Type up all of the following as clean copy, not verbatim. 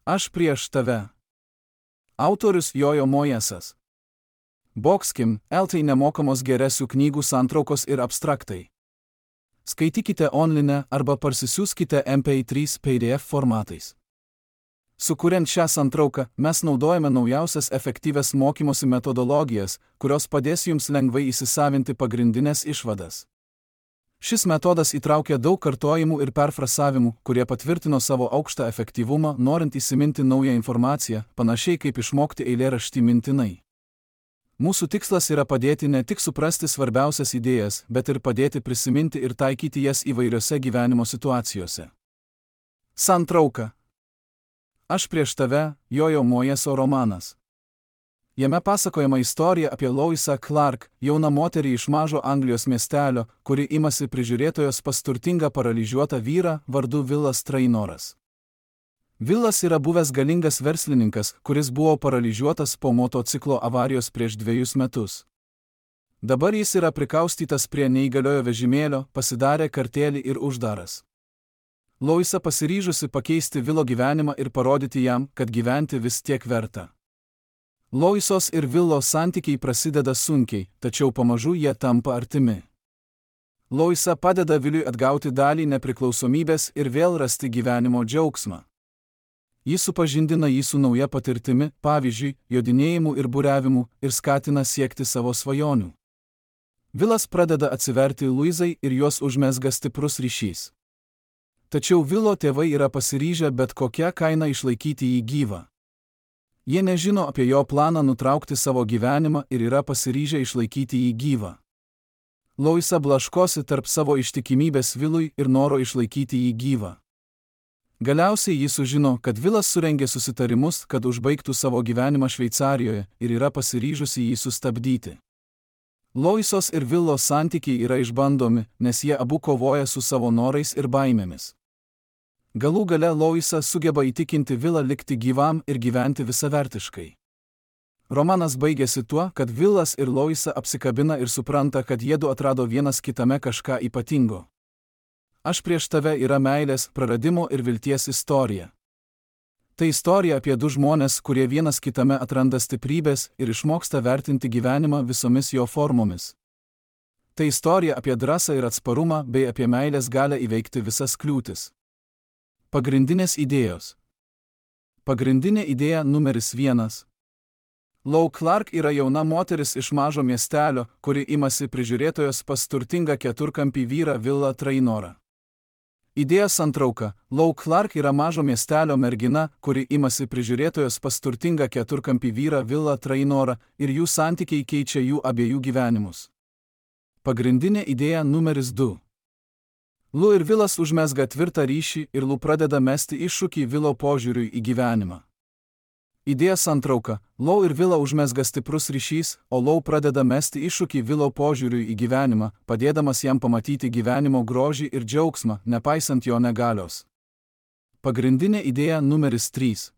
Aš prieš tave. Autorius Jojo Mojesas. Boxkim, LT nemokamos geresių knygų santraukos ir abstraktai. Skaitykite online arba parsisiųskite MP3 PDF formatais. Sukuriant šią santrauką, mes naudojame naujausias efektyvias mokymosi metodologijas, kurios padės jums lengvai įsisavinti pagrindinės išvadas. Šis metodas įtraukia daug kartojimų ir perfrasavimų, kurie patvirtino savo aukštą efektyvumą, norint įsiminti naują informaciją, panašiai kaip išmokti eilėraštį mintinai. Mūsų tikslas yra padėti ne tik suprasti svarbiausias idėjas, bet ir padėti prisiminti ir taikyti jas įvairiose gyvenimo situacijose. Santrauka. Aš prieš tave, Jojo Mojeso romanas. Jame pasakojama istorija apie Loisą Clark, jauną moterį iš mažo Anglijos miestelio, kuri imasi prižiūrėtojos pas turtingą paralyžiuotą vyrą vardu Willas Trainoras. Willas yra buvęs galingas verslininkas, kuris buvo paralyžiuotas po motociklo avarijos prieš 2 metus. Dabar jis yra prikaustytas prie neįgaliojo vežimėlio, pasidarė kartėlį ir uždaras. Loisa pasiryžusi pakeisti Willo gyvenimą ir parodyti jam, kad gyventi vis tiek verta. Loisos ir Willo santykiai prasideda sunkiai, tačiau pamažu jie tampa artimi. Loisa padeda Williui atgauti dalį nepriklausomybės ir vėl rasti gyvenimo džiaugsmą. Jis supažindina jį su nauja patirtimi, pavyzdžiui, jodinėjimu ir buriavimu, ir skatina siekti savo svajonių. Willas pradeda atsiverti Luizai ir juos užmezga stiprus ryšys. Tačiau Willo tėvai yra pasiryžę bet kokią kainą išlaikyti jį gyvą. Jie nežino apie jo planą nutraukti savo gyvenimą ir yra pasiryžę išlaikyti jį gyvą. Loisa blaškosi tarp savo ištikimybės Willui ir noro išlaikyti jį gyvą. Galiausiai jis sužino, kad Willas surengė susitarimus, kad užbaigtų savo gyvenimą Šveicarijoje ir yra pasiryžusi jį sustabdyti. Loisos ir Willo santykiai yra išbandomi, nes jie abu kovoja su savo norais ir baimėmis. Galų gale Loisa sugeba įtikinti Willą likti gyvam ir gyventi visavertiškai. Romanas baigėsi tuo, kad Willas ir Loisa apsikabina ir supranta, kad jiedu atrado vienas kitame kažką ypatingo. Aš prieš tave yra meilės, praradimo ir vilties istorija. Tai istorija apie 2 žmones, kurie vienas kitame atranda stiprybės ir išmoksta vertinti gyvenimą visomis jo formomis. Tai istorija apie drąsą ir atsparumą bei apie meilės galią įveikti visas kliūtis. Pagrindinės idėjos. Pagrindinė idėja numeris 1. Lou Clark yra jauna moteris iš mažo miestelio, kuri imasi prižiūrėtojos pas turtingą keturkampį vyrą Willą Trainorą. Idėja santrauka. Lou Clark yra mažo miestelio mergina, kuri imasi prižiūrėtojos pas turtingą keturkampį vyrą Willą Trainorą ir jų santykiai keičia jų abiejų gyvenimus. Pagrindinė idėja numeris 2. Lou ir Willas užmezga tvirtą ryšį ir Lou pradeda mesti iššūkį Willo požiūriui į gyvenimą. Idėja santrauka. Lou ir Willo užmezga stiprus ryšys, o Lou pradeda mesti iššūkį Willo požiūriui į gyvenimą, padėdamas jam pamatyti gyvenimo grožį ir džiaugsmą, nepaisant jo negalios. Pagrindinė idėja numeris 3.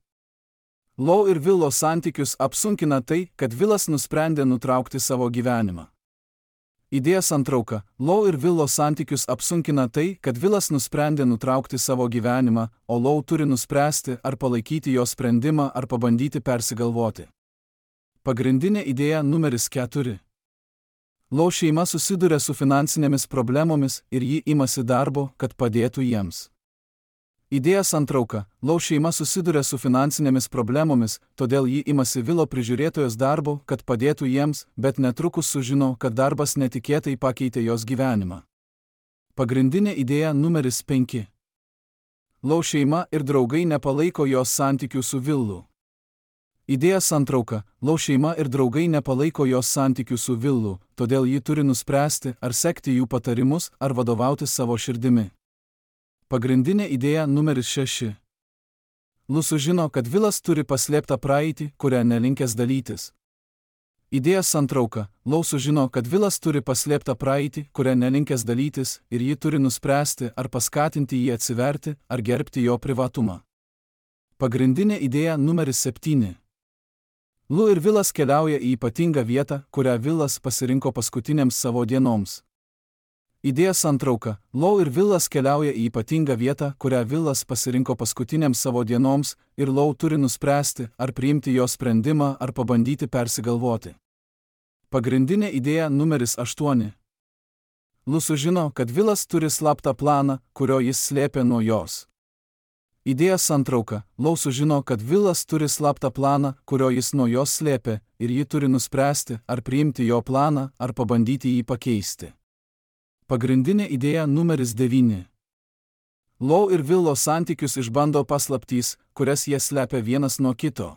Lou ir Willo santykius apsunkina tai, kad Willas nusprendė nutraukti savo gyvenimą. Idėja santrauka. Lou ir Willo santykius apsunkina tai, kad Willas nusprendė nutraukti savo gyvenimą, o Lou turi nuspręsti, ar palaikyti jo sprendimą, ar pabandyti persigalvoti. Pagrindinė idėja numeris 4. Lou šeima susiduria su finansinėmis problemomis ir ji imasi darbo, kad padėtų jiems. Idėja santrauka. Lou šeima susiduria su finansinėmis problemomis, todėl ji imasi Willo prižiūrėtojos darbo, kad padėtų jiems, bet netrukus sužino, kad darbas netikėtai pakeitė jos gyvenimą. Pagrindinė idėja numeris 5. Lou šeima ir draugai nepalaiko jos santykių su Willu. Idėja santrauka. Lou šeima ir draugai nepalaiko jos santykių su Willu, todėl ji turi nuspręsti, ar sekti jų patarimus, ar vadovautis savo širdimi. Pagrindinė idėja numeris 6. Lou sužino, kad Willas turi paslėptą praeitį, kurią nelinkęs dalytis. Idėja santrauka. Lou sužino, kad Willas turi paslėptą praeitį, kurią nelinkęs dalytis, ir ji turi nuspręsti, ar paskatinti jį atsiverti, ar gerbti jo privatumą. Pagrindinė idėja numeris 7. Lou ir Willas keliauja į ypatingą vietą, kurią Willas pasirinko paskutinėms savo dienoms. Idėja santrauka. Lau ir Vilas keliauja į ypatingą vietą, kurią Vilas pasirinko paskutiniams savo dienoms, ir Lau turi nuspręsti, ar priimti jo sprendimą, ar pabandyti persigalvoti. Pagrindinė idėja numeris 8. Lu sužino, kad Vilas turi slaptą planą, kurio jis slėpė nuo jos. Idėja santrauka. Lau sužino, kad Vilas turi slaptą planą, kurio jis nuo jos slėpė, ir ji turi nuspręsti, ar priimti jo planą, ar pabandyti jį pakeisti. Pagrindinė idėja numeris 9. Lau ir Vilo santykius išbando paslaptys, kurias jie slepia vienas nuo kito.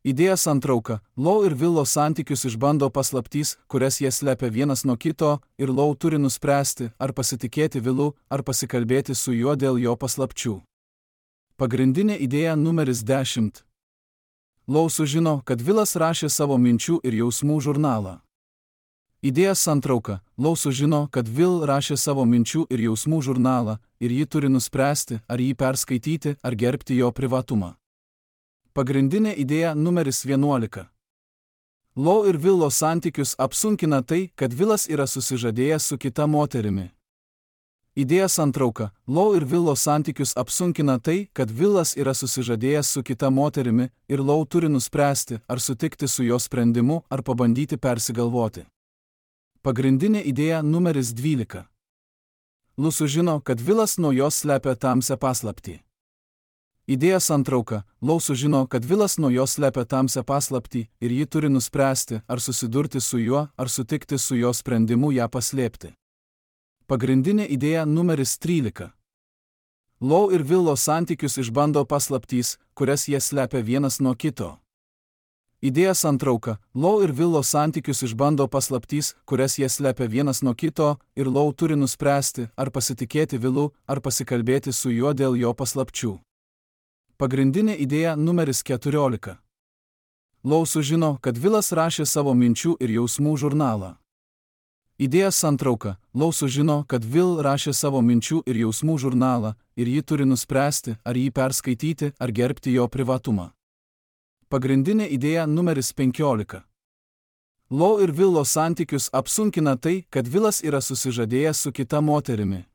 Idėja santrauka. Lau ir Vilo santykius išbando paslaptys, kurias jie slepia vienas nuo kito, ir Lau turi nuspręsti, ar pasitikėti Vilu, ar pasikalbėti su juo dėl jo paslapčių. Pagrindinė idėja numeris 10. Lau sužino, kad Vilas rašė savo minčių ir jausmų žurnalą. Idėja santrauka. Lau sužino, kad Vil rašė savo minčių ir jausmų žurnalą, ir ji turi nuspręsti, ar jį perskaityti, ar gerbti jo privatumą. Pagrindinė idėja numeris 11. Lau ir Vilo santykius apsunkina tai, kad Vilas yra susižadėjęs su kita moterimi. Idėja santrauka. Lau ir Vilo santykius apsunkina tai, kad Vilas yra susižadėjęs su kita moterimi, ir Lau turi nuspręsti, ar sutikti su jo sprendimu, ar pabandyti persigalvoti. Pagrindinė idėja numeris 12. Lu sužino, kad Vilas nuo jos slepia tamsią paslaptį. Idėja santrauka. Lau sužino, kad Vilas nuo jos slepia tamsią paslaptį, ir ji turi nuspręsti, ar susidurti su juo, ar sutikti su jo sprendimu ją paslėpti. Pagrindinė idėja numeris 13. Lau ir Vilo santykius išbando paslaptys, kurias jie slepia vienas nuo kito. Idėja santrauka. Lau ir Vilo santykius išbando paslaptys, kurias jie slepia vienas nuo kito, ir Lau turi nuspręsti, ar pasitikėti Vilu, ar pasikalbėti su juo dėl jo paslapčių. Pagrindinė idėja numeris 14. Lau sužino, kad Vilas rašė savo minčių ir jausmų žurnalą. Idėja santrauka. Lau sužino, kad Vil rašė savo minčių ir jausmų žurnalą, ir ji turi nuspręsti, ar jį perskaityti, ar gerbti jo privatumą. Pagrindinė idėja numeris 15. Lau ir Vilo santykius apsunkina tai, kad Vilas yra susižadėjęs su kita moterimi.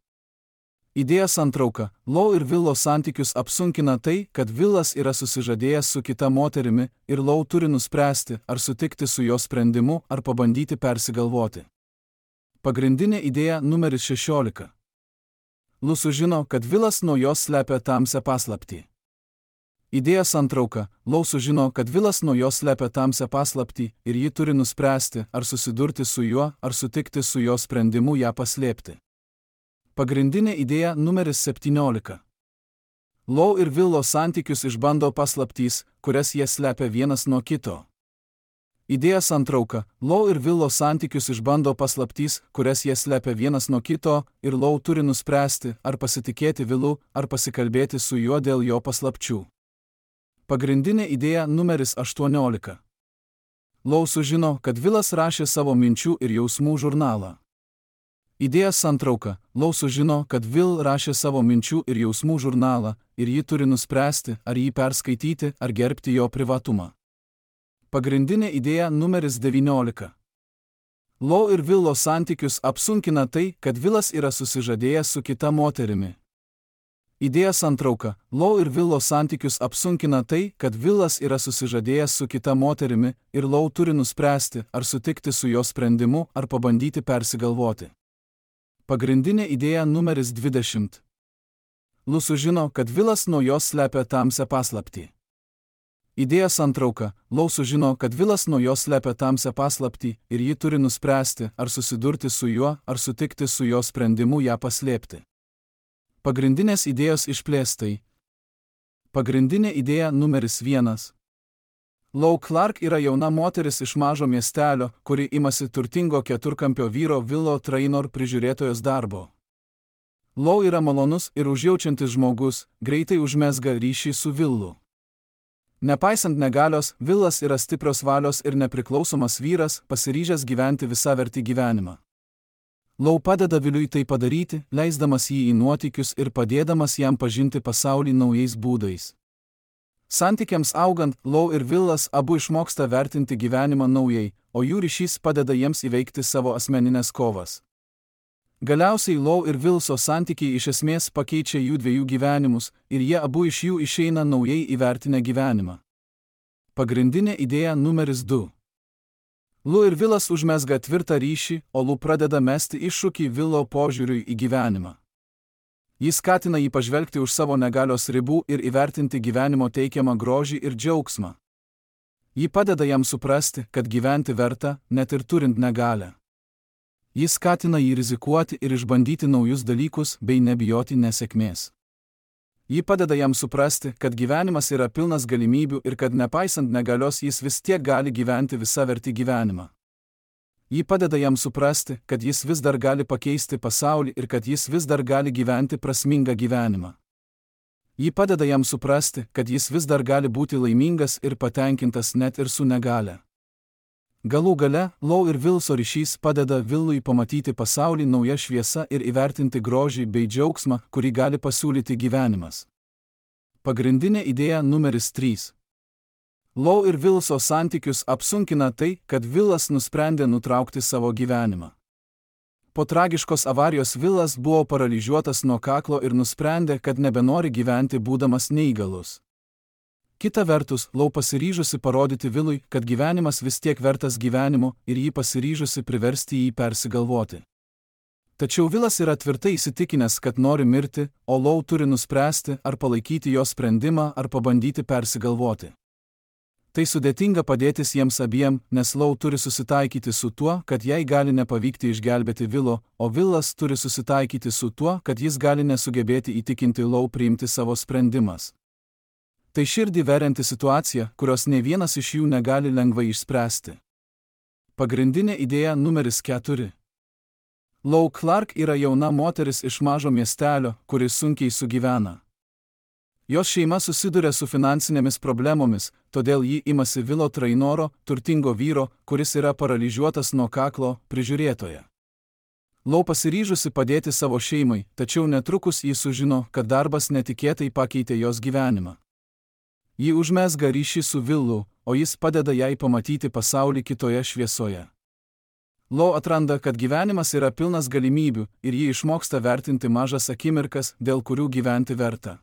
Idėja santrauka. Lau ir Vilo santykius apsunkina tai, kad Vilas yra susižadėjęs su kita moterimi, ir Lau turi nuspręsti, ar sutikti su jo sprendimu, ar pabandyti persigalvoti. Pagrindinė idėja numeris 16. Lu sužino, kad Vilas nuo jos slepia tamsią paslaptį. Idėja santrauka. Lau sužino, kad Vilas nuo jos slepia tamsią paslaptį, ir ji turi nuspręsti, ar susidurti su juo, ar sutikti su jo sprendimu ją paslėpti. Pagrindinė idėja numeris 17. Lau ir Vilo santykius išbando paslaptys, kurias jie slepia vienas nuo kito. Idėja santrauka. Lau ir Vilo santykius išbando paslaptys, kurias jie slepia vienas nuo kito, ir Lau turi nuspręsti, ar pasitikėti Vilu, ar pasikalbėti su juo dėl jo paslapčių. Pagrindinė idėja numeris 18. Lau sužino, kad Vilas rašė savo minčių ir jausmų žurnalą. Idėja santrauka. Lau sužino, kad Vil rašė savo minčių ir jausmų žurnalą, ir ji turi nuspręsti, ar jį perskaityti, ar gerbti jo privatumą. Pagrindinė idėja numeris 19. Lau ir Vilo santykius apsunkina tai, kad Vilas yra susižadėjęs su kita moterimi. Idėja santrauka. Lau ir Vilo santykius apsunkina tai, kad Vilas yra susižadėjęs su kita moterimi, ir Lau turi nuspręsti, ar sutikti su jo sprendimu, ar pabandyti persigalvoti. Pagrindinė idėja numeris 20. Lu sužino, kad Vilas nuo jos slepia tamsią paslaptį. Idėja santrauka. Lau sužino, kad Vilas nuo jos slepia tamsią paslaptį, ir ji turi nuspręsti, ar susidurti su juo, ar sutikti su jo sprendimu ją paslėpti. Pagrindinės idėjos išplėstai. Pagrindinė idėja numeris 1. Lau Clark yra jauna moteris iš mažo miestelio, kuri imasi turtingo keturkampio vyro Vilo Trainor prižiūrėtojos darbo. Lau yra malonus ir užjaučiantis žmogus, greitai užmezga ryšį su Vilu. Nepaisant negalios, Vilas yra stiprios valios ir nepriklausomas vyras, pasiryžęs gyventi visavertį gyvenimą. Lau padeda Viliui tai padaryti, leisdamas jį į nuotykius ir padėdamas jam pažinti pasaulį naujais būdais. Santykiams augant, Lau ir Vilas abu išmoksta vertinti gyvenimą naujai, o jų ryšys padeda jiems įveikti savo asmeninės kovas. Galiausiai Lau ir Vilso santykiai iš esmės pakeičia jų dviejų gyvenimus ir jie abu iš jų išeina naujai įvertinę gyvenimą. Pagrindinė idėja numeris 2. Lu ir Vilas užmezga tvirtą ryšį, o Lu pradeda mesti iššūkį Vilo požiūriui į gyvenimą. Jis skatina jį pažvelgti už savo negalios ribų ir įvertinti gyvenimo teikiamą grožį ir džiaugsmą. Ji padeda jam suprasti, kad gyventi verta, net ir turint negalią. Jis skatina jį rizikuoti ir išbandyti naujus dalykus bei nebijoti nesėkmės. Ji padeda jam suprasti, kad gyvenimas yra pilnas galimybių ir kad nepaisant negalios jis vis tiek gali gyventi visavertį gyvenimą. Ji padeda jam suprasti, kad jis vis dar gali pakeisti pasaulį ir kad jis vis dar gali gyventi prasmingą gyvenimą. Ji padeda jam suprasti, kad jis vis dar gali būti laimingas ir patenkintas net ir su negale. Galų gale, Lau ir Vilso ryšys padeda Vilui pamatyti pasaulį nauja šviesa ir įvertinti grožį bei džiaugsmą, kurį gali pasiūlyti gyvenimas. Pagrindinė idėja numeris 3. Lau ir Vilso santykius apsunkina tai, kad Vilas nusprendė nutraukti savo gyvenimą. Po tragiškos avarijos Vilas buvo paralyžiuotas nuo kaklo ir nusprendė, kad nebenori gyventi būdamas neįgalus. Kita vertus, Lau pasiryžusi parodyti Vilui, kad gyvenimas vis tiek vertas gyvenimo ir jį pasiryžusi priversti jį persigalvoti. Tačiau Vilas yra tvirtai įsitikinęs, kad nori mirti, o Lau turi nuspręsti, ar palaikyti jo sprendimą, ar pabandyti persigalvoti. Tai sudėtinga padėtis jiems abiem, nes Lau turi susitaikyti su tuo, kad jai gali nepavykti išgelbėti Vilo, o Vilas turi susitaikyti su tuo, kad jis gali nesugebėti įtikinti Lau priimti savo sprendimas. Tai širdį verianti situacija, kurios ne vienas iš jų negali lengvai išspręsti. Pagrindinė idėja numeris 4. Lau Clark yra jauna moteris iš mažo miestelio, kuris sunkiai sugyvena. Jos šeima susiduria su finansinėmis problemomis, todėl ji imasi Vilo trainoro, turtingo vyro, kuris yra paralyžiuotas nuo kaklo, prižiūrėtoja. Lau pasiryžusi padėti savo šeimai, tačiau netrukus ji sužino, kad darbas netikėtai pakeitė jos gyvenimą. Ji užmezga ryšį su Vilu, o jis padeda jai pamatyti pasaulį kitoje šviesoje. Lau atranda, kad gyvenimas yra pilnas galimybių ir ji išmoksta vertinti mažas akimirkas, dėl kurių gyventi verta.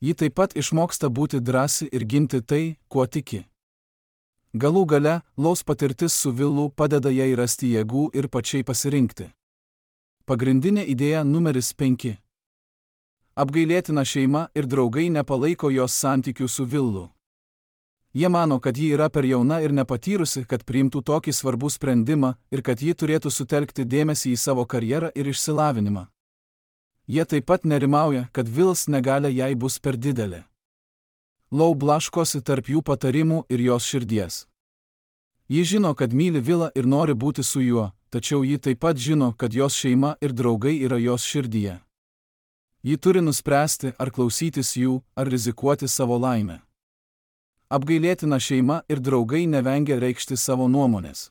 Ji taip pat išmoksta būti drąsi ir ginti tai, kuo tiki. Galų gale, Laus patirtis su Vilu padeda jai rasti jėgų ir pačiai pasirinkti. Pagrindinė idėja numeris 5. Apgailėtina šeima ir draugai nepalaiko jos santykių su Vilu. Jie mano, kad ji yra per jauna ir nepatyrusi, kad priimtų tokį svarbų sprendimą ir kad ji turėtų sutelkti dėmesį į savo karjerą ir išsilavinimą. Jie taip pat nerimauja, kad Vils negalia jai bus per didelė. Lau blaškosi tarp jų patarimų ir jos širdies. Ji žino, kad myli Vilą ir nori būti su juo, tačiau ji taip pat žino, kad jos šeima ir draugai yra jos širdyje. Ji turi nuspręsti, ar klausytis jų, ar rizikuoti savo laimę. Apgailėtina šeima ir draugai nevengia reikšti savo nuomonės.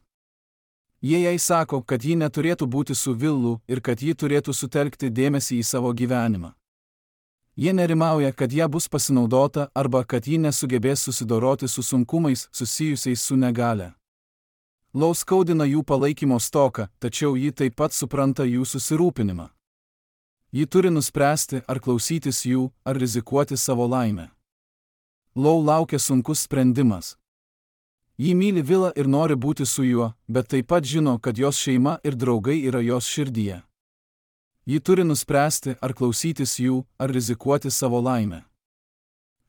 Jie jai sako, kad ji neturėtų būti su Vilu ir kad ji turėtų sutelkti dėmesį į savo gyvenimą. Jie nerimauja, kad ją bus pasinaudota arba kad ji nesugebės susidoroti su sunkumais susijusiais su negale. Lau skaudina jų palaikymo stoką, tačiau ji taip pat supranta jų susirūpinimą. Ji turi nuspręsti, ar klausytis jų, ar rizikuoti savo laimę. Lau laukia sunkus sprendimas. Ji myli Vilą ir nori būti su juo, bet taip pat žino, kad jos šeima ir draugai yra jos širdyje. Ji turi nuspręsti, ar klausytis jų, ar rizikuoti savo laimę.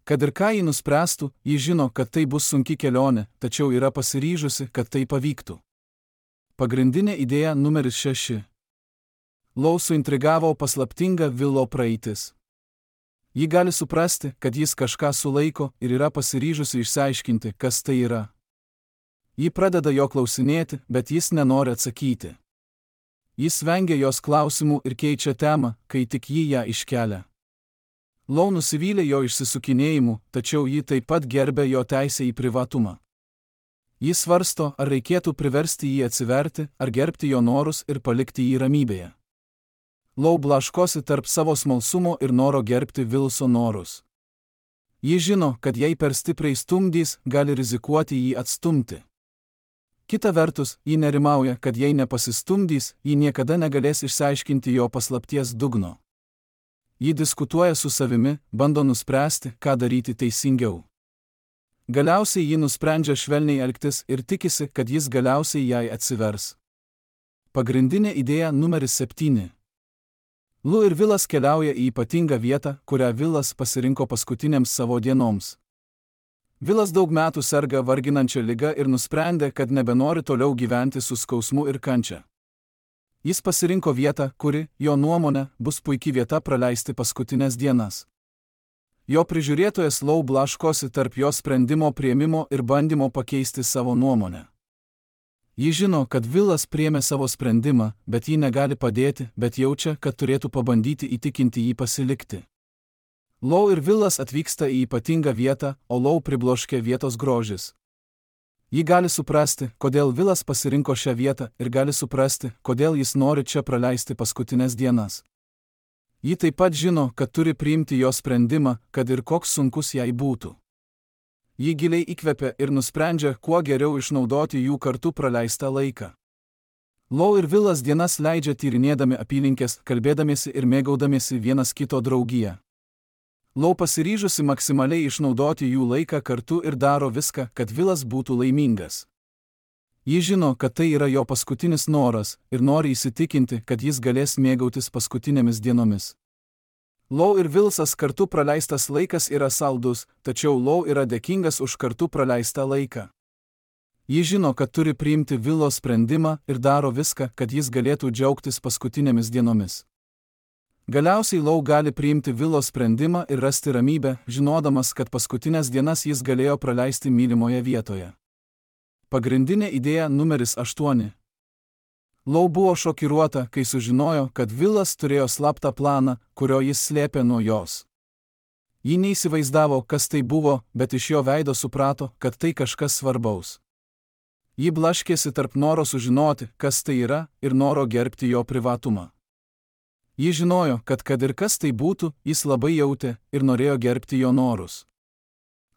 Kad ir ką ji nuspręstų, ji žino, kad tai bus sunki kelionė, tačiau yra pasiryžusi, kad tai pavyktų. Pagrindinė idėja numeris 6. Lau suintrigavo paslaptinga Vilo praeitis. Ji gali suprasti, kad jis kažką sulaiko ir yra pasiryžusi išsiaiškinti, kas tai yra. Ji pradeda jo klausinėti, bet jis nenori atsakyti. Jis vengia jos klausimų ir keičia temą, kai tik ji ją iškelia. Lau nusivylė jo išsisukinėjimu, tačiau ji taip pat gerbė jo teisę į privatumą. Jis svarsto, ar reikėtų priversti jį atsiverti, ar gerbti jo norus ir palikti jį ramybėje. Lau blaškosi tarp savo smalsumo ir noro gerbti Vilso norus. Ji žino, kad jei per stipriai stumdys, gali rizikuoti jį atstumti. Kita vertus, ji nerimauja, kad jei nepasistumdys, ji niekada negalės išsiaiškinti jo paslapties dugno. Ji diskutuoja su savimi, bando nuspręsti, ką daryti teisingiau. Galiausiai ji nusprendžia švelniai elgtis ir tikisi, kad jis galiausiai jai atsivers. Pagrindinė idėja numeris 7. Lu ir Vilas keliauja į ypatingą vietą, kurią Vilas pasirinko paskutinėms savo dienoms. Vilas daug metų serga varginančia liga ir nusprendė, kad nebenori toliau gyventi su skausmu ir kančia. Jis pasirinko vietą, kuri, jo nuomone, bus puikia vieta praleisti paskutinės dienas. Jo prižiūrėtojas Lau blaškosi tarp jo sprendimo priėmimo ir bandymo pakeisti savo nuomonę. Ji žino, kad Vilas priėmė savo sprendimą, bet ji negali padėti, bet jaučia, kad turėtų pabandyti įtikinti jį pasilikti. Lau ir Vilas atvyksta į ypatingą vietą, o Lau pribloškia vietos grožis. Ji gali suprasti, kodėl Vilas pasirinko šią vietą ir gali suprasti, kodėl jis nori čia praleisti paskutinės dienas. Ji taip pat žino, kad turi priimti jo sprendimą, kad ir koks sunkus jai būtų. Ji giliai įkvepia ir nusprendžia, kuo geriau išnaudoti jų kartu praleistą laiką. Lau ir Vilas dienas leidžia tyrinėdami apylinkės, kalbėdamiesi ir mėgaudamiesi vienas kito draugiją. Lau pasiryžusi maksimaliai išnaudoti jų laiką kartu ir daro viską, kad Vilas būtų laimingas. Ji žino, kad tai yra jo paskutinis noras ir nori įsitikinti, kad jis galės mėgautis paskutinėmis dienomis. Lau ir Vilsas kartu praleistas laikas yra saldus, tačiau Lau yra dėkingas už kartu praleistą laiką. Ji žino, kad turi priimti Vilo sprendimą ir daro viską, kad jis galėtų džiaugtis paskutinėmis dienomis. Galiausiai Lau gali priimti Vilo sprendimą ir rasti ramybę, žinodamas, kad paskutinės dienas jis galėjo praleisti mylimoje vietoje. Pagrindinė idėja numeris 8. Lau buvo šokiruota, kai sužinojo, kad Vilas turėjo slaptą planą, kurio jis slėpė nuo jos. Ji neįsivaizdavo, kas tai buvo, bet iš jo veido suprato, kad tai kažkas svarbaus. Ji blaškėsi tarp noro sužinoti, kas tai yra, ir noro gerbti jo privatumą. Ji žinojo, kad ir kas tai būtų, jis labai jautė ir norėjo gerbti jo norus.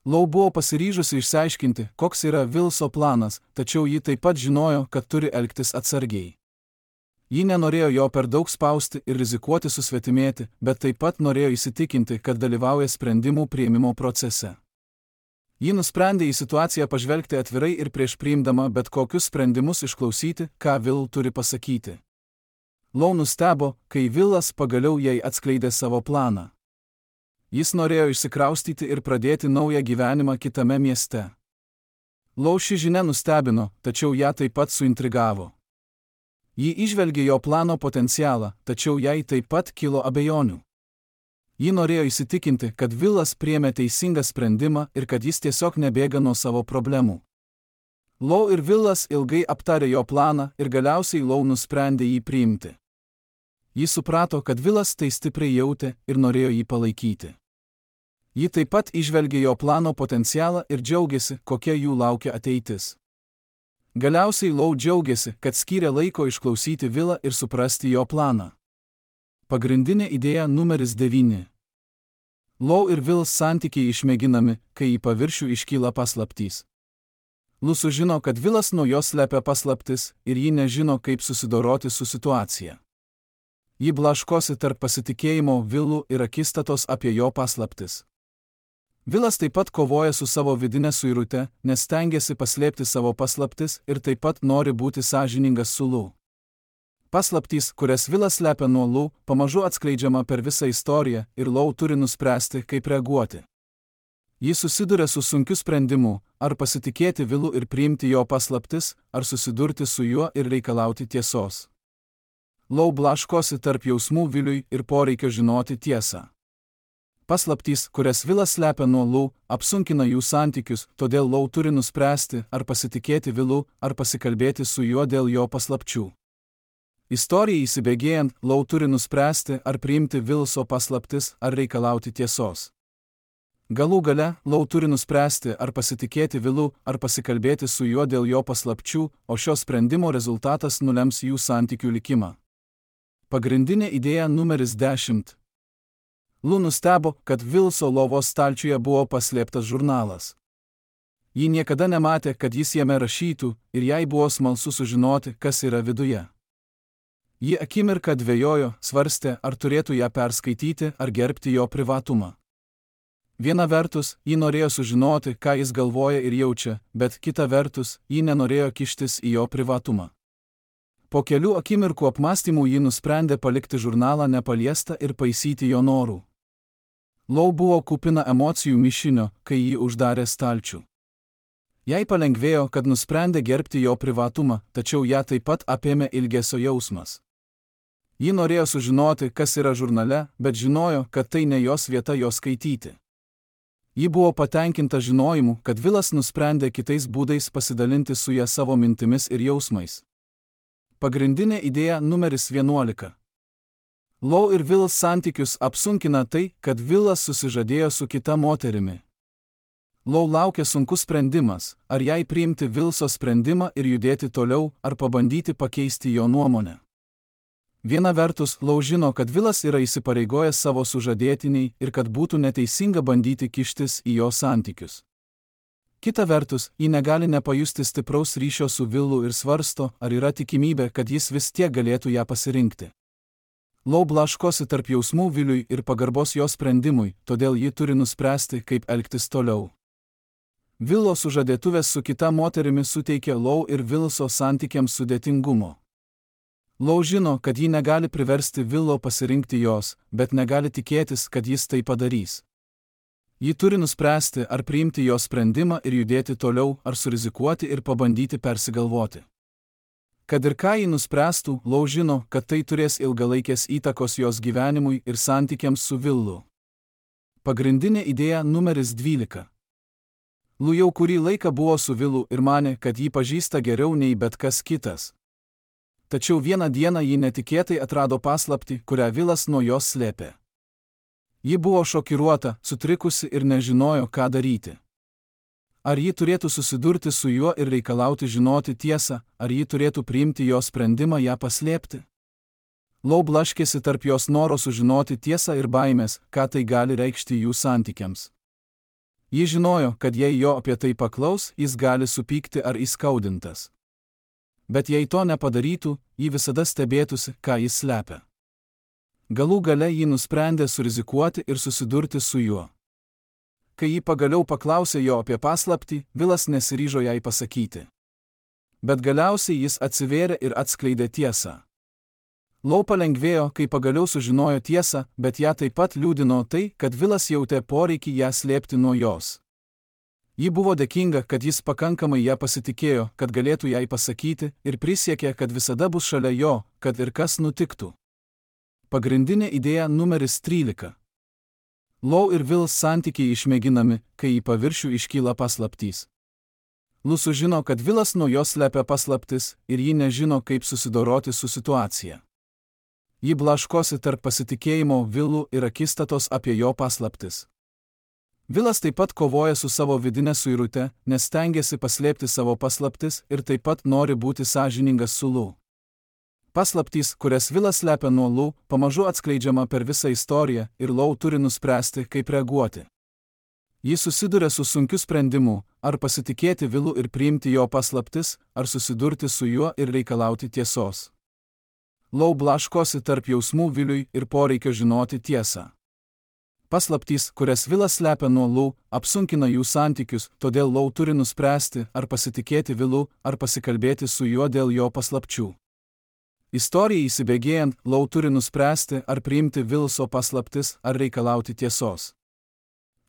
Lau buvo pasiryžusi išsiaiškinti, koks yra Vilso planas, tačiau ji taip pat žinojo, kad turi elgtis atsargiai. Ji nenorėjo jo per daug spausti ir rizikuoti susvetimėti, bet taip pat norėjo įsitikinti, kad dalyvauja sprendimų priėmimo procese. Ji nusprendė į situaciją pažvelgti atvirai ir prieš priimdama bet kokius sprendimus išklausyti, ką Vil turi pasakyti. Lau nustebo, kai Vilas pagaliau jai atskleidė savo planą. Jis norėjo išsikraustyti ir pradėti naują gyvenimą kitame mieste. Lau ši žinia nustebino, tačiau ją taip pat suintrigavo. Ji įžvelgė jo plano potencialą, tačiau jai taip pat kilo abejonių. Ji norėjo įsitikinti, kad Vilas priėmė teisingą sprendimą ir kad jis tiesiog nebėga nuo savo problemų. Lau ir Vilas ilgai aptarė jo planą ir galiausiai Lau nusprendė jį priimti. Ji suprato, kad Vilas tai stipriai jautė ir norėjo jį palaikyti. Ji taip pat įžvelgė jo plano potencialą ir džiaugiasi, kokia jų laukia ateitis. Galiausiai Lau džiaugiasi, kad skyrė laiko išklausyti Vilą ir suprasti jo planą. Pagrindinė idėja numeris 9. Lau ir Vils santykiai išmėginami, kai į paviršių iškyla paslaptys. Lu sužino, kad Vilas nuo jos slepia paslaptis ir ji nežino, kaip susidoroti su situacija. Ji blaškosi tarp pasitikėjimo Vilu ir akistatos apie jo paslaptis. Vilas taip pat kovoja su savo vidinė suirute, nes stengiasi paslėpti savo paslaptis ir taip pat nori būti sąžiningas su Lu. Paslaptys, kurias Vilas slepia nuo Lu, pamažu atskleidžiama per visą istoriją ir Lau turi nuspręsti, kaip reaguoti. Ji susiduria su sunkiu sprendimu, ar pasitikėti Vilu ir priimti jo paslaptis, ar susidurti su juo ir reikalauti tiesos. Lau blaškosi tarp jausmų Viliui ir poreikio žinoti tiesą. Paslaptys, kurias Vilas slepia nuo Lu, apsunkina jų santykius, todėl Lau turi nuspręsti, ar pasitikėti Vilu, ar pasikalbėti su juo dėl jo paslapčių. Istorijai įsibėgėjant, Lau turi nuspręsti, ar priimti Vilso paslaptis, ar reikalauti tiesos. Galų gale, Lau turi nuspręsti, ar pasitikėti Vilu, ar pasikalbėti su juo dėl jo paslapčių, o šio sprendimo rezultatas nulems jų santykių likimą. Pagrindinė idėja numeris 10. Lu nustebo, kad Vilso lovos stalčiuje buvo paslėptas žurnalas. Ji niekada nematė, kad jis jame rašytų, ir jai buvo smalsu sužinoti, kas yra viduje. Ji akimirką dvejojo, svarstė, ar turėtų ją perskaityti, ar gerbti jo privatumą. Viena vertus, ji norėjo sužinoti, ką jis galvoja ir jaučia, bet kita vertus, ji nenorėjo kištis į jo privatumą. Po kelių akimirkų apmąstymų ji nusprendė palikti žurnalą nepaliestą ir paisyti jo norų. Lau buvo kupina emocijų mišinio, kai jį uždarė stalčių. Jai palengvėjo, kad nusprendė gerbti jo privatumą, tačiau ją taip pat apėmė ilgesio jausmas. Ji norėjo sužinoti, kas yra žurnale, bet žinojo, kad tai ne jos vieta jo skaityti. Ji buvo patenkinta žinojimu, kad Vilas nusprendė kitais būdais pasidalinti su ja savo mintimis ir jausmais. Pagrindinė idėja numeris 11. Lau ir Vilas santykius apsunkina tai, kad Vilas susižadėjo su kita moterimi. Lau laukia sunkus sprendimas, ar jai priimti Vilso sprendimą ir judėti toliau, ar pabandyti pakeisti jo nuomonę. Viena vertus, Lau žino, kad Vilas yra įsipareigojęs savo sužadėtiniai ir kad būtų neteisinga bandyti kištis į jo santykius. Kita vertus, ji negali nepajusti stipraus ryšio su Vilu ir svarsto, ar yra tikimybė, kad jis vis tiek galėtų ją pasirinkti. Lau blaškosi tarp jausmų Viliui ir pagarbos jo sprendimui, todėl ji turi nuspręsti, kaip elgtis toliau. Vilo sužadėtuvės su kita moterimi suteikia Lau ir Vilso santykiams sudėtingumo. Lau žino, kad ji negali priversti Vilo pasirinkti jos, bet negali tikėtis, kad jis tai padarys. Ji turi nuspręsti, ar priimti jo sprendimą ir judėti toliau, ar surizikuoti ir pabandyti persigalvoti. Kad ir ką ji nuspręstų, Lau žino, kad tai turės ilgalaikės įtakos jos gyvenimui ir santykiams su Vilu. Pagrindinė idėja numeris 12. Lau jau kurį laiką buvo su Vilu ir manė, kad jį pažįsta geriau nei bet kas kitas. Tačiau vieną dieną ji netikėtai atrado paslaptį, kurią Vilas nuo jos slėpė. Ji buvo šokiruota, sutrikusi ir nežinojo, ką daryti. Ar ji turėtų susidurti su juo ir reikalauti žinoti tiesą, ar ji turėtų priimti jo sprendimą ją paslėpti? Lau blaškėsi tarp jos noro sužinoti tiesą ir baimės, ką tai gali reikšti jų santykiams. Ji žinojo, kad jei jo apie tai paklaus, jis gali supykti ar įskaudintas. Bet jei to nepadarytų, ji visada stebėtųsi, ką jis slepia. Galų gale ji nusprendė surizikuoti ir susidurti su juo. Kai ji pagaliau paklausė jo apie paslaptį, Vilas nesiryžo jai pasakyti. Bet galiausiai jis atsivėrė ir atskleidė tiesą. Lau palengvėjo, kai pagaliau sužinojo tiesą, bet ją taip pat liūdino tai, kad Vilas jautė poreikį ją slėpti nuo jos. Ji buvo dėkinga, kad jis pakankamai ją pasitikėjo, kad galėtų jai pasakyti, ir prisiekė, kad visada bus šalia jo, kad ir kas nutiktų. Pagrindinė idėja numeris 13. Lau ir Vils santykiai išmėginami, kai į paviršių iškyla paslaptys. Lau sužino, kad Vilas nuo jos slepia paslaptis ir ji nežino, kaip susidoroti su situacija. Ji blaškosi tarp pasitikėjimo Vilu ir akistatos apie jo paslaptis. Vilas taip pat kovoja su savo vidinė suirute, nes stengiasi paslėpti savo paslaptis ir taip pat nori būti sąžiningas su Lau. Paslaptys, kurias Vilas slepia nuo Lau, pamažu atskleidžiama per visą istoriją ir Lau turi nuspręsti, kaip reaguoti. Ji susiduria su sunkiu sprendimu, ar pasitikėti Vilu ir priimti jo paslaptis, ar susidurti su juo ir reikalauti tiesos. Lau blaškosi tarp jausmų Viliui ir poreikio žinoti tiesą. Paslaptys, kurias Vilas slepia nuo Lau, apsunkina jų santykius, todėl Lau turi nuspręsti, ar pasitikėti Vilu, ar pasikalbėti su juo dėl jo paslapčių. Istorijai įsibėgėjant, Lau turi nuspręsti, ar priimti Vilso paslaptis, ar reikalauti tiesos.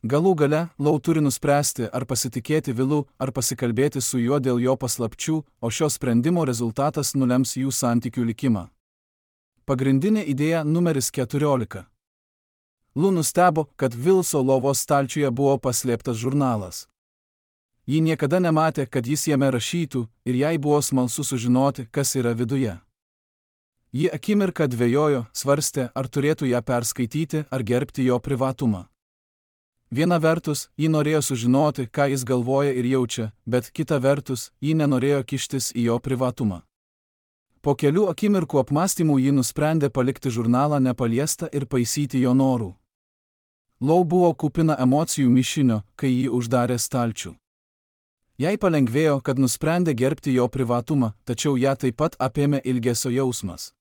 Galų gale, Lau turi nuspręsti, ar pasitikėti Vilu, ar pasikalbėti su juo dėl jo paslapčių, o šio sprendimo rezultatas nulems jų santykių likimą. Pagrindinė idėja numeris 14. Lau nustebo, kad Vilso lovos stalčiuje buvo paslėptas žurnalas. Ji niekada nematė, kad jis jame rašytų, ir jai buvo smalsu sužinoti, kas yra viduje. Ji akimirką dvejojo, svarstė, ar turėtų ją perskaityti, ar gerbti jo privatumą. Viena vertus, ji norėjo sužinoti, ką jis galvoja ir jaučia, bet kita vertus, ji nenorėjo kištis į jo privatumą. Po kelių akimirkų apmąstymų ji nusprendė palikti žurnalą nepaliestą ir paisyti jo norų. Lau buvo kupina emocijų mišinio, kai jį uždarė stalčių. Jai palengvėjo, kad nusprendė gerbti jo privatumą, tačiau ją taip pat apėmė ilgesio jausmas.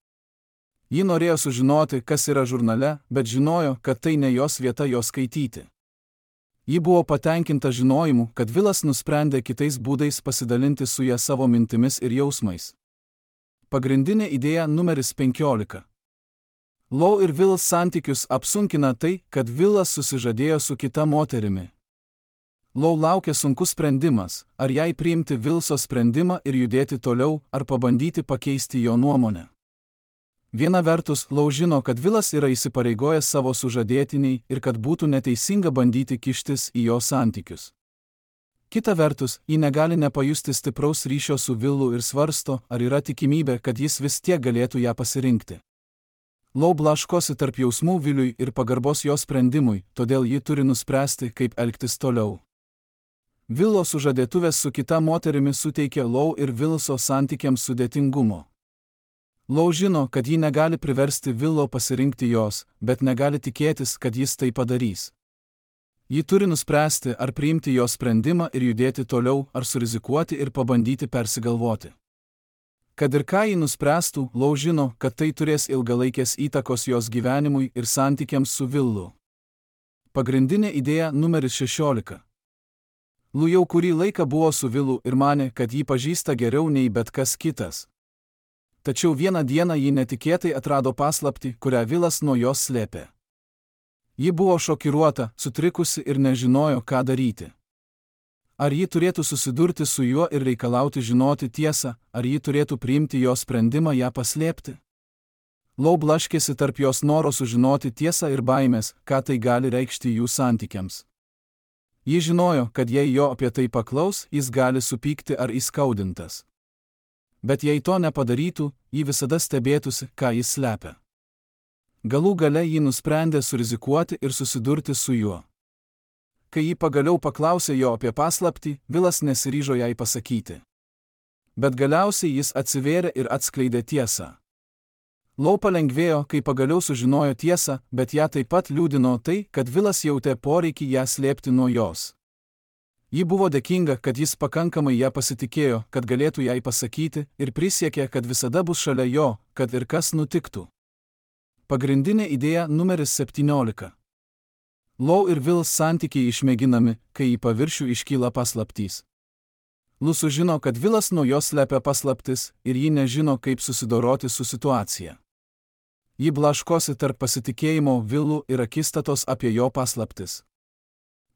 Ji norėjo sužinoti, kas yra žurnale, bet žinojo, kad tai ne jos vieta jo skaityti. Ji buvo patenkinta žinojimu, kad Vilas nusprendė kitais būdais pasidalinti su ja savo mintimis ir jausmais. Pagrindinė idėja numeris 15. Lou ir Will santykius apsunkina tai, kad Willas susižadėjo su kita moterimi. Lou laukia sunkus sprendimas, ar jai priimti Wilso sprendimą ir judėti toliau, ar pabandyti pakeisti jo nuomonę. Viena vertus, Lou žino, kad Willas yra įsipareigojęs savo sužadėtiniai ir kad būtų neteisinga bandyti kištis į jo santykius. Kita vertus, ji negali nepajusti stipraus ryšio su Willu ir svarsto, ar yra tikimybė, kad jis vis tiek galėtų ją pasirinkti. Lou blaškosi tarp jausmų Williui ir pagarbos jo sprendimui, todėl ji turi nuspręsti, kaip elgtis toliau. Willo sužadėtuvės su kita moterimi suteikia Lou ir Wilso santykiams sudėtingumo. Lou žino, kad ji negali priversti Willo pasirinkti jos, bet negali tikėtis, kad jis tai padarys. Ji turi nuspręsti, ar priimti jo sprendimą ir judėti toliau, ar surizikuoti ir pabandyti persigalvoti. Kad ir ką ji nuspręstų, Lou žino, kad tai turės ilgalaikės įtakos jos gyvenimui ir santykiams su Willu. Pagrindinė idėja numeris 16. Lou jau kurį laiką buvo su Willu ir manė, kad jį pažįsta geriau nei bet kas kitas. Tačiau vieną dieną ji netikėtai atrado paslaptį, kurią Willas nuo jos slėpė. Ji buvo šokiruota, sutrikusi ir nežinojo, ką daryti. Ar ji turėtų susidurti su juo ir reikalauti žinoti tiesą, ar ji turėtų priimti jo sprendimą ją paslėpti? Lou blaškėsi tarp jos noro sužinoti tiesą ir baimės, ką tai gali reikšti jų santykiams. Ji žinojo, kad jei jo apie tai paklaus, jis gali supykti ar įskaudintas. Bet jei to nepadarytų, ji visada stebėtųsi, ką jis slepia. Galų gale ji nusprendė surizikuoti ir susidurti su juo. Kai ji pagaliau paklausė jo apie paslaptį, Willas nesiryžo jai pasakyti. Bet galiausiai jis atsivėrė ir atskleidė tiesą. Lou palengvėjo, kai pagaliau sužinojo tiesą, bet ją taip pat liūdino tai, kad Willas jautė poreikį ją slėpti nuo jos. Ji buvo dėkinga, kad jis pakankamai ją pasitikėjo, kad galėtų jai pasakyti, ir prisiekė, kad visada bus šalia jo, kad ir kas nutiktų. Pagrindinė idėja numeris 17. Lou ir Will santykiai išmėginami, kai į paviršių iškyla paslaptys. Lou sužino, kad Willas nuo jos slepia paslaptis ir ji nežino, kaip susidoroti su situacija. Ji blaškosi tarp pasitikėjimo Willu ir akistatos apie jo paslaptis.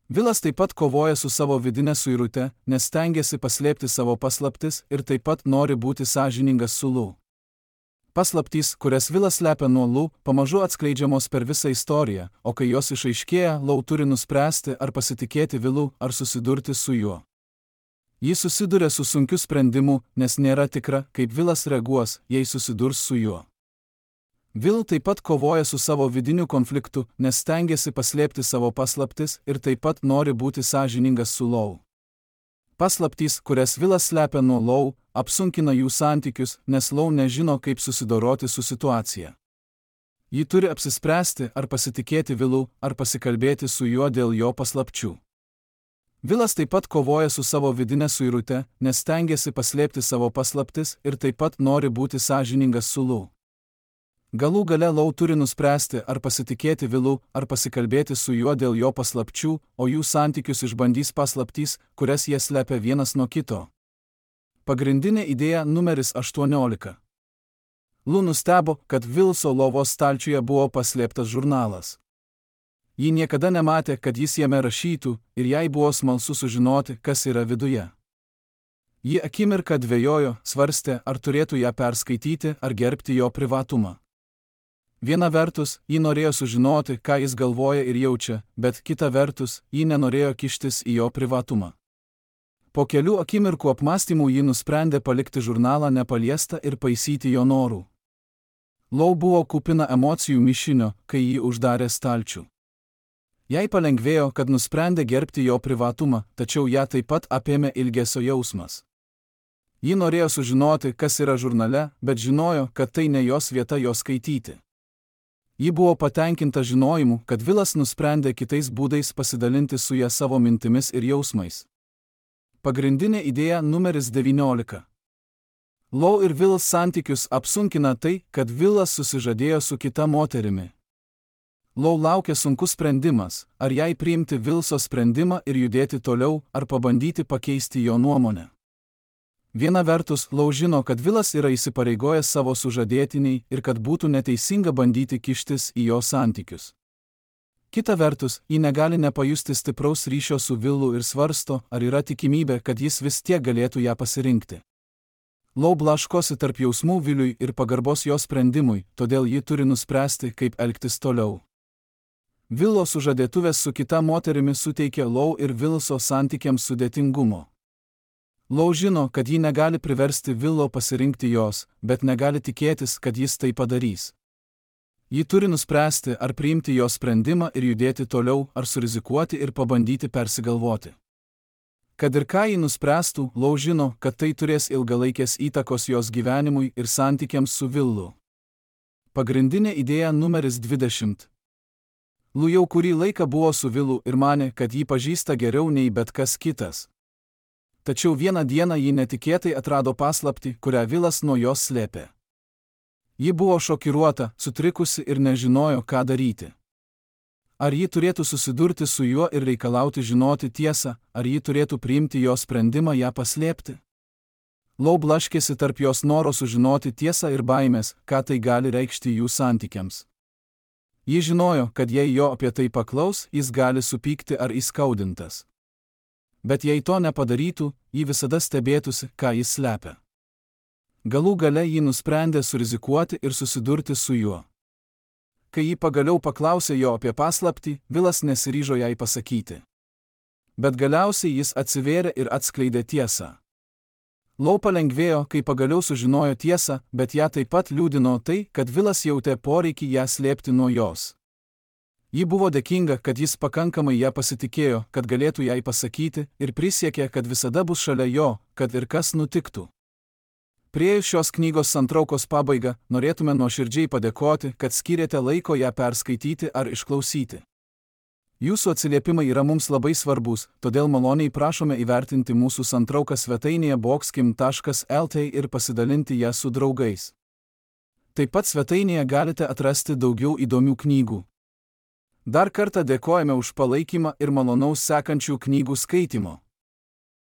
Willas taip pat kovoja su savo vidine suirute, nes stengiasi paslėpti savo paslaptis ir taip pat nori būti sąžiningas su Lou. Paslaptys, kurias Willas slepia nuo Lou, pamažu atskleidžiamos per visą istoriją, o kai jos išaiškėja, Lou turi nuspręsti, ar pasitikėti Willu, ar susidurti su juo. Ji susiduria su sunkiu sprendimu, nes nėra tikra, kaip Willas reaguos, jei susidurs su juo. Will taip pat kovoja su savo vidiniu konfliktu, nes stengiasi paslėpti savo paslaptis ir taip pat nori būti sąžiningas su Lou. Paslaptys, kurias Willas slepia nuo Lou, apsunkina jų santykius, nes Lou nežino, kaip susidoroti su situacija. Ji turi apsispręsti, ar pasitikėti Willu, ar pasikalbėti su juo dėl jo paslapčių. Willas taip pat kovoja su savo vidine suirute, nes stengiasi paslėpti savo paslaptis ir taip pat nori būti sąžiningas su Lou. Galų gale Lou turi nuspręsti, ar pasitikėti Willu, ar pasikalbėti su juo dėl jo paslapčių, o jų santykius išbandys paslaptys, kurias jie slepia vienas nuo kito. Pagrindinė idėja numeris 18. Lou nustebo, kad Wilso lovos stalčiuje buvo paslėptas žurnalas. Ji niekada nematė, kad jis jame rašytų, ir jai buvo smalsu sužinoti, kas yra viduje. Ji akimirką dvejojo, svarstė, ar turėtų ją perskaityti, ar gerbti jo privatumą. Viena vertus, ji norėjo sužinoti, ką jis galvoja ir jaučia, bet kita vertus, ji nenorėjo kištis į jo privatumą. Po kelių akimirkų apmąstymų ji nusprendė palikti žurnalą nepaliestą ir paisyti jo norų. Lou buvo kupina emocijų mišinio, kai jį uždarė stalčių. Jai palengvėjo, kad nusprendė gerbti jo privatumą, tačiau ją taip pat apėmė ilgesio jausmas. Ji norėjo sužinoti, kas yra žurnale, bet žinojo, kad tai ne jos vieta jo skaityti. Ji buvo patenkinta žinojimu, kad Willas nusprendė kitais būdais pasidalinti su ja savo mintimis ir jausmais. Pagrindinė idėja numeris 19. Lou ir Will santykius apsunkina tai, kad Willas susižadėjo su kita moterimi. Lou laukia sunkus sprendimas, ar jai priimti Willso sprendimą ir judėti toliau, ar pabandyti pakeisti jo nuomonę. Viena vertus, Lou žino, kad Willas yra įsipareigojęs savo sužadėtiniai ir kad būtų neteisinga bandyti kištis į jo santykius. Kita vertus, ji negali nepajusti stipraus ryšio su Willu ir svarsto, ar yra tikimybė, kad jis vis tiek galėtų ją pasirinkti. Lou blaškosi tarp jausmų Williui ir pagarbos jo sprendimui, todėl ji turi nuspręsti, kaip elgtis toliau. Willo sužadėtuvės su kita moterimi suteikia Lou ir Willso santykiams sudėtingumo. Lou žino, kad ji negali priversti Willo pasirinkti jos, bet negali tikėtis, kad jis tai padarys. Ji turi nuspręsti, ar priimti jo sprendimą ir judėti toliau, ar surizikuoti ir pabandyti persigalvoti. Kad ir ką ji nuspręstų, Lou žino, kad tai turės ilgalaikės įtakos jos gyvenimui ir santykiams su Willu. Pagrindinė idėja numeris 20. Lou jau kurį laiką buvo su Willu ir manė, kad jį pažįsta geriau nei bet kas kitas. Tačiau vieną dieną ji netikėtai atrado paslaptį, kurią Willas nuo jos slėpė. Ji buvo šokiruota, sutrikusi ir nežinojo, ką daryti. Ar ji turėtų susidurti su juo ir reikalauti žinoti tiesą, ar ji turėtų priimti jo sprendimą ją paslėpti? Lou blaškėsi tarp jos noro sužinoti tiesą ir baimės, ką tai gali reikšti jų santykiams. Ji žinojo, kad jei jo apie tai paklaus, jis gali supykti ar įskaudintas. Bet jei to nepadarytų, ji visada stebėtųsi, ką jis slepia. Galų gale ji nusprendė surizikuoti ir susidurti su juo. Kai ji pagaliau paklausė jo apie paslaptį, Willas nesiryžo jai pasakyti. Bet galiausiai jis atsivėrė ir atskleidė tiesą. Lou palengvėjo, kai pagaliau sužinojo tiesą, bet ją taip pat liūdino tai, kad Willas jautė poreikį ją slėpti nuo jos. Ji buvo dėkinga, kad jis pakankamai ją pasitikėjo, kad galėtų jai pasakyti, ir prisiekė, kad visada bus šalia jo, kad ir kas nutiktų. Priėjus šios knygos santraukos pabaigą, norėtume nuoširdžiai padėkoti, kad skyrėte laiko ją perskaityti ar išklausyti. Jūsų atsiliepimai yra mums labai svarbus, todėl maloniai prašome įvertinti mūsų santrauką svetainėje boxkim.lt ir pasidalinti ją su draugais. Taip pat svetainėje galite atrasti daugiau įdomių knygų. Dar kartą dėkojame už palaikymą ir malonaus sekančių knygų skaitimo.